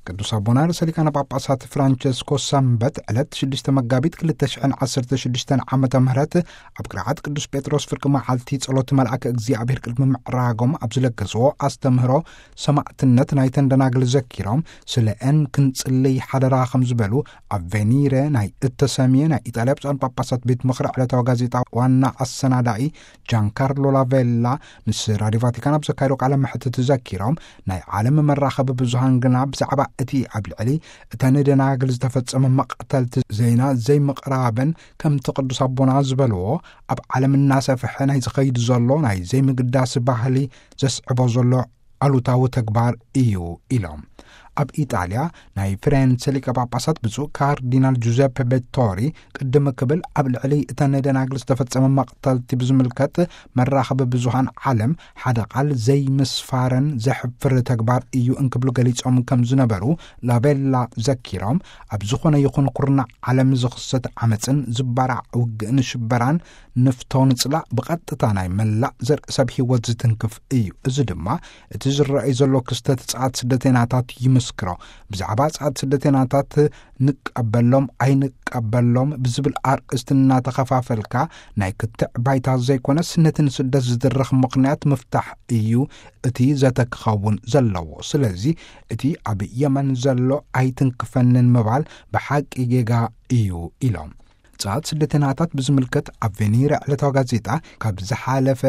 ቅዱስ ኣቦና ርእሰ ሊቃነ ጳጳሳት ፍራንቸስኮ ሰንበት ዕለት ሽዱሽተ መጋቢት ክልተ ሽሕን ዓሰርተ ሽዱሽተን ዓመተ ምህረት ኣብ ቅርዓት ቅዱስ ጴጥሮስ ፍርቂ መዓልቲ ጸሎት መልኣከ እግዚኣብሔር ቅድሚ ምዕራጎም ኣብ ዝለገስዎ ኣስተምህሮ ሰማዕትነት ናይተን ደናግል ዘኪሮም ስለ ኤን ክንጽልይ ሓደራ ከም ዝበሉ ኣብ ቬኒረ ናይ እተሰምየ ናይ ኢጣልያ ብፁዓን ጳጳሳት ቤት ምኽሪ ዕለታዊ ጋዜጣ ዋና ኣሰናዳኢ ጃንካርሎ ላቬላ ምስ ራዲዮ ቫቲካን ኣብ ዘካየዶ ቃለ መሕትት ዘኪሮም ናይ ዓለም መራኸቢ ብዙሃን ግና ብዛዕባ እቲ ኣብ ልዕሊ እተን ደናግል ዝተፈጸመ መቕተልቲ ዜና ዘይምቕራበን ከምቲ ቅዱስ ኣቦና ዝበልዎ ኣብ ዓለም እናሰፍሐ ናይ ዝኸይድ ዘሎ ናይ ዘይምግዳስ ባህሊ ዘስዕቦ ዘሎ ኣሉታዊ ተግባር እዩ ኢሎም። ኣብ ኢጣልያ ናይ ፍሬንስ ሊቀ ጳጳሳት ብፁዕ ካርዲናል ጁዘፕ ቤቶሪ ቅድም ክብል ኣብ ልዕሊ እተን ደናግል ዝተፈጸመ መቕተልቲ ብዝምልከት መራኸቢ ብዙሃን ዓለም ሓደ ቃል ዘይምስፋረን ዘሕፍር ተግባር እዩ እንክብሉ ገሊጾም ከም ዝነበሩ ላቤላ ዘኪሮም፣ ኣብ ዝኾነ ይኹን ኩርናዕ ዓለም ዝኽሰት ዓመፅን ዝባራዕ ውግእን ሽበራን ንፍቶ ንፅላእ ብቐጥታ ናይ መላእ ዘርኢ ሰብ ህይወት ዝትንክፍ እዩ። እዚ ድማ እቲ ዝረኣይ ዘሎ ክስተት ጸዓት ስደተናታት ይምስክሮ። ብዛዕባ ጸዓት ስደተናታት ንቀበሎም ኣይንቀበሎም ብዝብል ኣርእስቲ እናተኸፋፈልካ ናይ ክትዕ ባይታ ዘይኮነስ ነቲ ንስደት ዝድርኽ ምኽንያት ምፍታሕ እዩ እቲ ዘተ ክኸውን ዘለዎ። ስለዚ እቲ ኣብ የመን ዘሎ ኣይትንክፈንን ምባል ብሓቂ ጌጋ እዩ ኢሎም። ጸዓት ስደተናታት ብዝምልከት ኣብ ቬኒረ ዕለታዊ ጋዜጣ ካብ ዝሓለፈ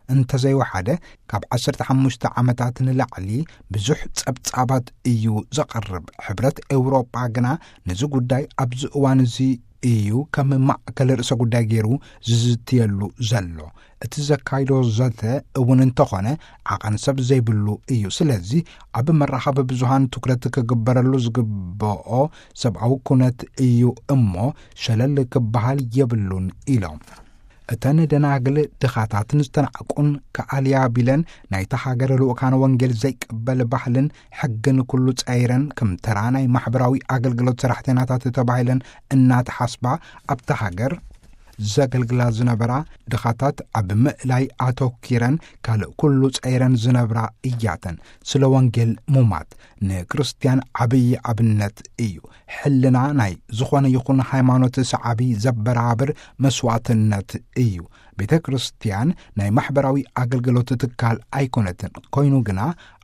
እንተዘይወሓደ ካብ ዓሰርተ ሓሙሽተ ዓመታት ንላዕሊ ብዙሕ ጸብጻባት እዩ ዘቕርብ። ሕብረት ኤውሮጳ ግና ነዚ ጉዳይ ኣብዚ እዋን እዚ እዩ ከም ማእከል ርእሰ ጉዳይ ገይሩ ዝዝትየሉ ዘሎ። እቲ ዘካይዶ ዘተ እውን እንተኾነ ዓቐን ሰብ ዘይብሉ እዩ። ስለዚ ኣብ መራኸቢ ብዙሃን ትኩረት ክግበረሉ ዝግብኦ ሰብኣዊ ኩነት እዩ እሞ ሸለል ክበሃል የብሉን ኢሎም። እተን ደናግል ድኻታትን ዝተናዕቁን ከኣልያ ቢለን ናይታ ሃገር ልኡካን ወንጌል ዘይቅበል ባህልን ሕግን ኩሉ ጸይረን ከም ተራ ናይ ማሕበራዊ ኣገልግሎት ሰራሕተኛታት ተባሂለን እናተሓስባ ኣብታ ሃገር ዘገልግላ ዝነበራ ድኻታት ኣብ ምእላይ ኣተኪረን ካልእ ኩሉ ጸይረን ዝነብራ እያተን። ስለ ወንጌል ሙማት ንክርስቲያን ዓብዪ ኣብነት እዩ። ሕልና ናይ ዝኾነ ይኹን ሃይማኖት ሰዓቢ ዘበራብር መስዋዕትነት እዩ። ቤተ ክርስቲያን ናይ ማሕበራዊ ኣገልግሎት ትካል ኣይኮነትን። ኮይኑ ግና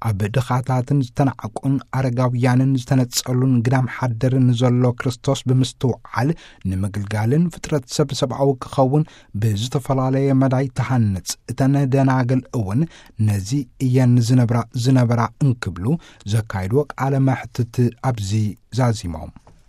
ኣብ ድኻታትን ዝተናዕቁን ኣረጋውያንን ዝተነጸሉን ግዳም ሓደርን ዘሎ ክርስቶስ ብምስትውዓል ንምግልጋልን ፍጥረት ሰብ ሰብኣዊ ክኸውን ብዝተፈላለየ መዳይ ተሃንጽ። እተን ደናግል እውን ነዚ እየን ዝነብራ ዝነበራ እንክብሉ ዘካይድዎ ቃለ መሕትት ኣብዚ ዛዚሞም።